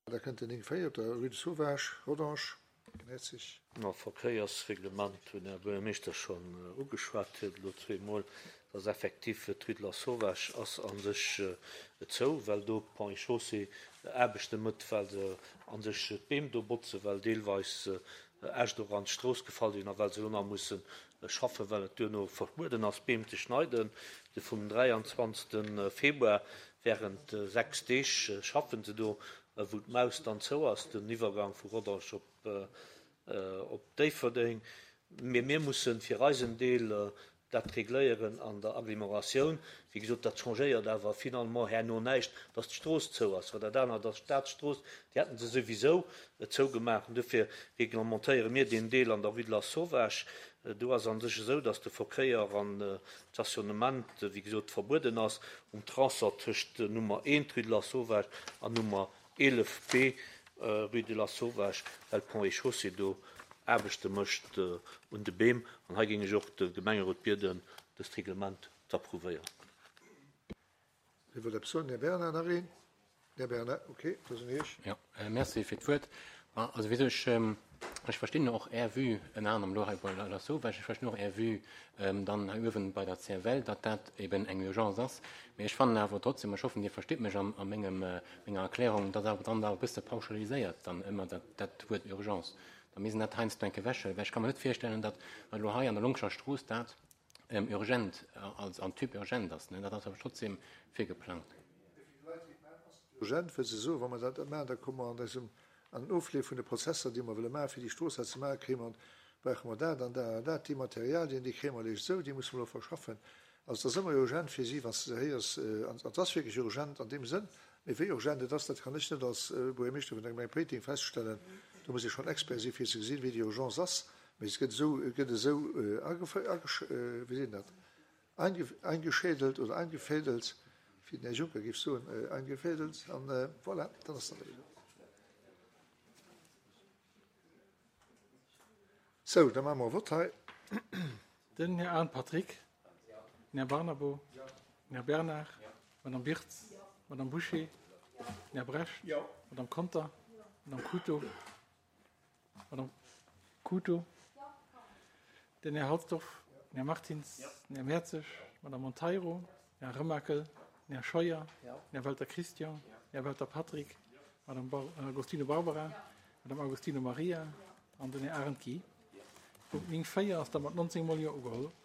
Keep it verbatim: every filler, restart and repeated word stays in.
Da kënnt den néng véier op der Rue de Sauvage, Rodange. Herzig. Ma Verkéiersreglement hunn Här Buergermeeschter schonn ugeschwat huet elo zweemol, dass effektiv d'Rue de la Sauvage ass a sech zou, well do Ponts et Chaussées Aarbechte mëtt, well se a sech d'Beem do botzen, well deelweis Äscht och an d'Strooss gefall sinn a well se elo nach musse schaffen, well et duerno verbueden ass, Beem ze schneiden. De vum dräianzwanzegste Februar während sechs Deeg schaffen se do, wou d'Maus dann zou ass, den Iwwergang vu Rodange op op Déifferdeng. Mee mir mussen fir eisen Deel dat regléieren an der Agglomeratioun. Wéi gesot, dat changéiert awer finalement herno näischt, dass d'Strooss zou ass, well dat anert ass d'Staatsstrooss, déi hätte se souwisou zougemaach. An dofir reglementéiere mir deen Deel an der Rue de la Sauvage. Do ass a sech esou, dass de Verkéier an d'Stationnement, wéi gesot, verbueden ass um Tronçon tëscht Nummer eent Rue de la Sauvage an Nummer eelef B Rue de la Sauvage, well Ponts et Chaussées do Aarbechte mécht un de Beem. An hei géing ech och de Gemengerot bieden, dëst Reglement z'approuvéieren. Wie wëllt eppes soen? Här Bernard, nach een? Här Bernard, okay, da sinn Iech. Jo, merci fir d'Wuert. Also wéi ech, ech verstinn och Är Vue, ënner anerem elo hei bei La Sauvage, ech verstinn och Är Vue dann hei uewen bei der C F L, datt dat eben eng Urgence ass. Mee ech fannen awer trotzdem, ech hoffen, Dir verstitt mech a mengem, menger Erklärung, datt awer dann awer e bësse pauschaliséiert dann ëmmer dat, dat Wuert Urgence. Da misst een dat heiansdo eng Kéier ewechhuelen, well ech ka mer net virstellen, datt elo hei an der Longscher Strooss dat urgent als an Typ urgent ass, ne? Dat ass awer trotzdem virgeplangt. Urgent, wëll se soen, wa mer dat net maachen, da komme mer an eisem, an den Ofleef vun de Prozesser, déi mer wëlle maachen, fir déi Strooss hei ze maachen, kréie mer, brauche mer dat an dat an dat, déi Materialien, déi kréie mer eréischt esou, déi musse mer elo verschaffen. Also et ass ëmmer urgent fir si, wann s de se héiers, an et ass wierklech urgent an deem Sënn, mee wéi urgent et ass, dat kann ech net als Buergermeeschter vun der Gemeng Péiteng feststellen. Do muss ee schonn Expert si fir ze gesinn, wéi déi Urgence ass. Mee et gëtt esou, et gëtt esou wéi seet een dat, eingeschädelt oder eingefädelt, wéi den Här Juncker géif soen, eingefädelt, an voilà, dann ass dat esou. Sou, da maache mer e Vott hei. Den Här Arndt Patrick, den Här Barnabo, den Här Bernard, d'Madame Birtz, d'Madame Bouché, den Här Brecht, d'Madame Conter, d'Madame Couto, d'Madame Couto, den Här Halsdorf, den Här Martins, den Här Mertzig, d'Madame Monteiro, den Här Remakel, den Här Scheuer, den Här Welter Christian, den Här Welter Patrick, d'Madame Bar Agostino Barbara, d'Madame Agostino Maria an den Här Arendt Guy. Punkt néng véier ass da mat neunzéng Mol Jo ugeholl.